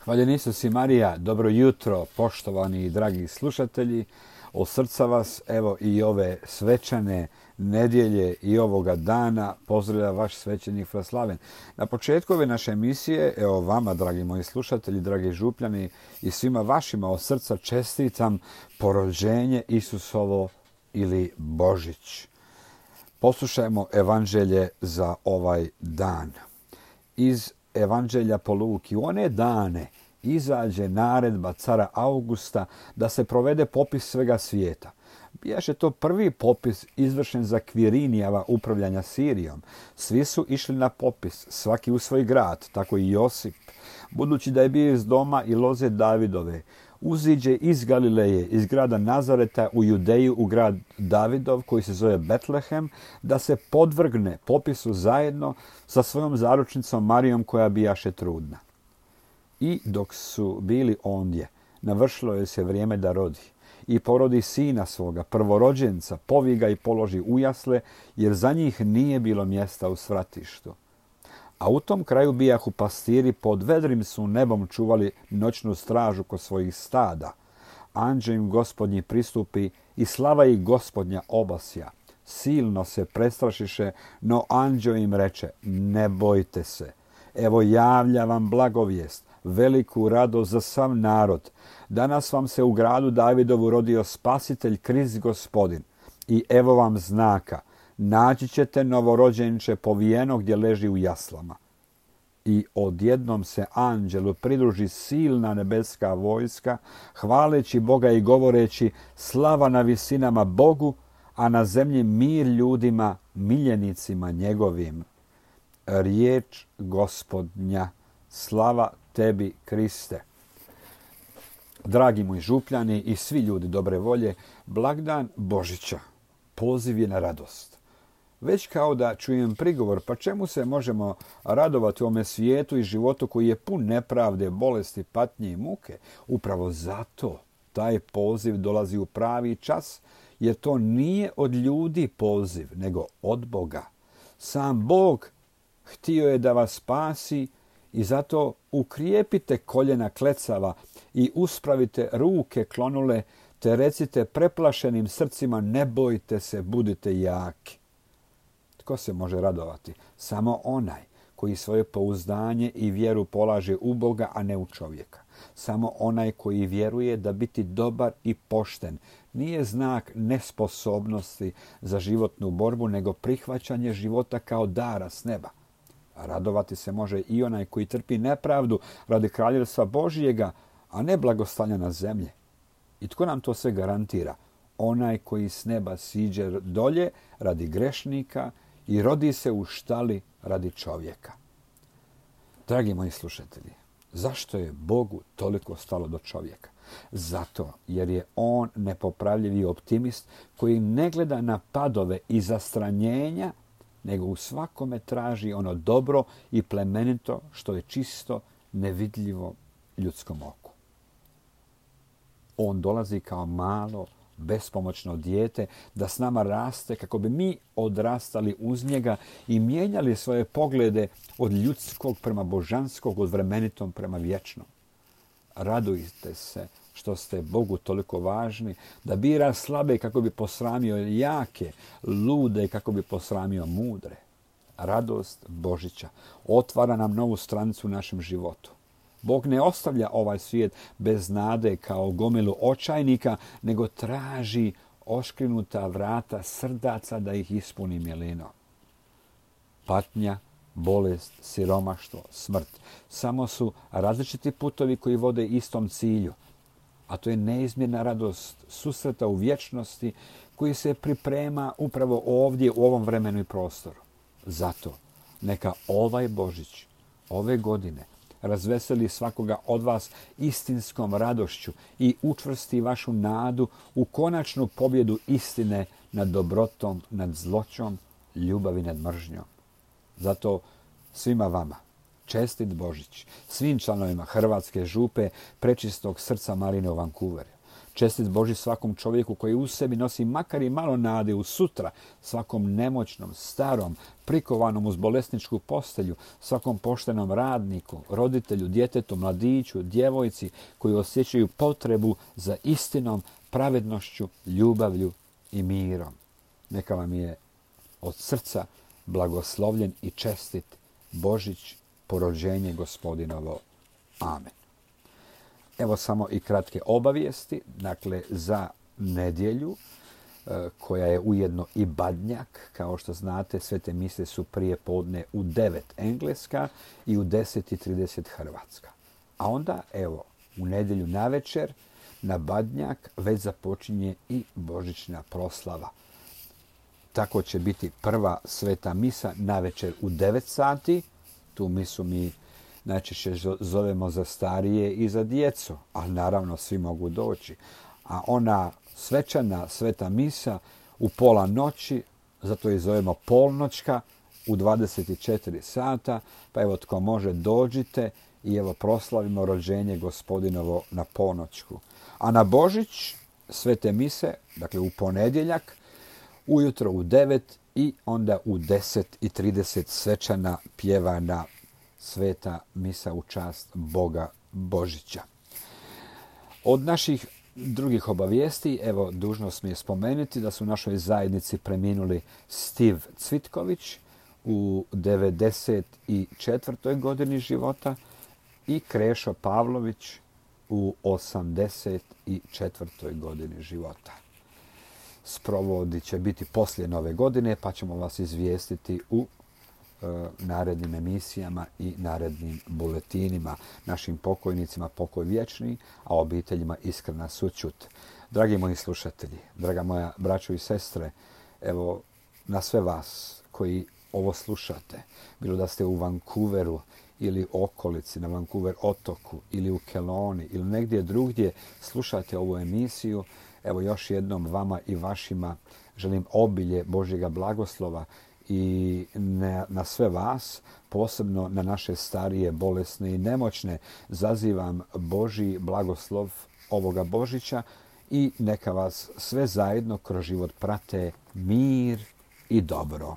Hvaljen Isus i Marija, dobro jutro, poštovani i dragi slušatelji. Od srca vas, evo i ove svečane nedjelje i ovoga dana pozdravlja vaš svećenik Fraslaven. Na početku ove naše emisije, evo vama, dragi moji slušatelji, dragi župljani i svima vašima od srca čestitam porođenje Isusovo ili Božić. Poslušajmo evanđelje za ovaj dan. Iz Evanđelja po Luki. U one dane izađe naredba cara Augusta da se provede popis svega svijeta. Bijaše to prvi popis izvršen za Kvirinijeva upravljanja Sirijom. Svi su išli na popis, svaki u svoj grad, tako i Josip. Budući da je bio iz doma i loze Davidove, uziđe iz Galileje, iz grada Nazareta u Judeju, u grad Davidov, koji se zove Betlehem, da se podvrgne popisu zajedno sa svojom zaručnicom Marijom, koja bijaše trudna. I dok su bili ondje, navršilo je se vrijeme da rodi. I porodi sina svoga, prvorođenca, povi ga i položi u jasle, jer za njih nije bilo mjesta u svratištu. A u tom kraju bijahu pastiri, pod vedrim su nebom čuvali noćnu stražu kod svojih stada. Anđeo im Gospodnji pristupi i slava ih Gospodnja obasja. Silno se prestrašiše, no anđeo im reče: ne bojte se. Evo javlja vam blagovijest, veliku radost za sav narod. Danas vam se u gradu Davidovu rodio spasitelj, Krist Gospodin. I evo vam znaka. Naći ćete novorođenče povijeno gdje leži u jaslama. I odjednom se anđelu pridruži silna nebeska vojska, hvaleći Boga i govoreći: slava na visinama Bogu, a na zemlji mir ljudima, miljenicima njegovim. Riječ Gospodnja. Slava tebi, Kriste. Dragi moji župljani i svi ljudi dobre volje, blagdan Božića. Poziv je na radost. Već kao da čujem prigovor, pa čemu se možemo radovati u ovome svijetu i životu koji je pun nepravde, bolesti, patnje i muke? Upravo zato taj poziv dolazi u pravi čas, jer to nije od ljudi poziv, nego od Boga. Sam Bog htio je da vas spasi i zato ukrijepite koljena klecava i uspravite ruke klonule, te recite preplašenim srcima: ne bojte se, budite jaki. Tko se može radovati? Samo onaj koji svoje pouzdanje i vjeru polaže u Boga, a ne u čovjeka. Samo onaj koji vjeruje da biti dobar i pošten nije znak nesposobnosti za životnu borbu, nego prihvaćanje života kao dara s neba. Radovati se može i onaj koji trpi nepravdu radi kraljevstva Božjega, a ne blagostanja na zemlji. I tko nam to sve garantira? Onaj koji s neba siđe dolje radi grešnika i rodi se u štali radi čovjeka. Dragi moji slušatelji, zašto je Bogu toliko stalo do čovjeka? Zato jer je on nepopravljivi optimist koji ne gleda na padove i zastranjenja, nego u svakome traži ono dobro i plemenito što je čisto, nevidljivo ljudskom oku. On dolazi kao malo, bespomoćno dijete da s nama raste kako bi mi odrastali uz njega i mijenjali svoje poglede od ljudskog prema božanskog, od vremenitom prema vječnom. Radujte se što ste Bogu toliko važni da bira slabe kako bi posramio jake, lude kako bi posramio mudre. Radost Božića otvara nam novu stranicu u našem životu. Bog ne ostavlja ovaj svijet bez nade kao gomilu očajnika, nego traži oškrinuta vrata srdaca da ih ispuni milinom. Patnja, bolest, siromaštvo, smrt samo su različiti putovi koji vode istom cilju, a to je neizmjerna radost susreta u vječnosti koji se priprema upravo ovdje u ovom vremenu i prostoru. Zato neka ovaj Božić, ove godine, razveseli svakoga od vas istinskom radošću i učvrsti vašu nadu u konačnu pobjedu istine nad dobrotom, nad zloćom, ljubavi nad mržnjom. Zato svima vama čestit Božić, svim članovima Hrvatske župe Prečistog srca Marine u Vancouveru. Čestit Božji svakom čovjeku koji u sebi nosi makar i malo nade u sutra, svakom nemoćnom, starom, prikovanom uz bolesničku postelju, svakom poštenom radniku, roditelju, djetetu, mladiću, djevojci koji osjećaju potrebu za istinom, pravednošću, ljubavlju i mirom. Neka vam je od srca blagoslovljen i čestit Božić, porođenje Gospodinovo. Amen. Evo samo i kratke obavijesti. Dakle, za nedjelju, koja je ujedno i badnjak, kao što znate, svete mise su prije podne u 9 engleska i u 10:30 hrvatska. A onda, evo, u nedjelju navečer, na badnjak već započinje i božićna proslava. Tako će biti prva sveta misa navečer u 9 sati. Tu misu mi najčešće zovemo za starije i za djecu, ali naravno svi mogu doći. A ona svečana sveta misa u pola noći, zato je zovemo polnoćka, u 24 sata, pa evo tko može dođite i evo proslavimo rođenje Gospodinovo na ponoćku. A na Božić svete mise, dakle u ponedjeljak, ujutro u 9 i onda u 10:30 svečana pjevana sveta misa u čast Boga Božića. Od naših drugih obavijesti, evo, dužnost mi je spomenuti da su u našoj zajednici preminuli Steve Cvitković u 94. godini života i Krešo Pavlović u 84. godini života. Sprovodi će biti poslije Nove godine, pa ćemo vas izvijestiti u narednim emisijama i narednim buletinima. Našim pokojnicima pokoj vječni, a obiteljima iskrena sućut. Dragi moji slušatelji, draga moja braćo i sestre, evo na sve vas koji ovo slušate, bilo da ste u Vancouveru ili okolici, na Vancouver otoku ili u Kelowni ili negdje drugdje slušate ovu emisiju, evo još jednom vama i vašima želim obilje Božjega blagoslova i na sve vas, posebno na naše starije, bolesne i nemoćne, zazivam Božji blagoslov ovoga Božića i neka vas sve zajedno kroz život prate mir i dobro.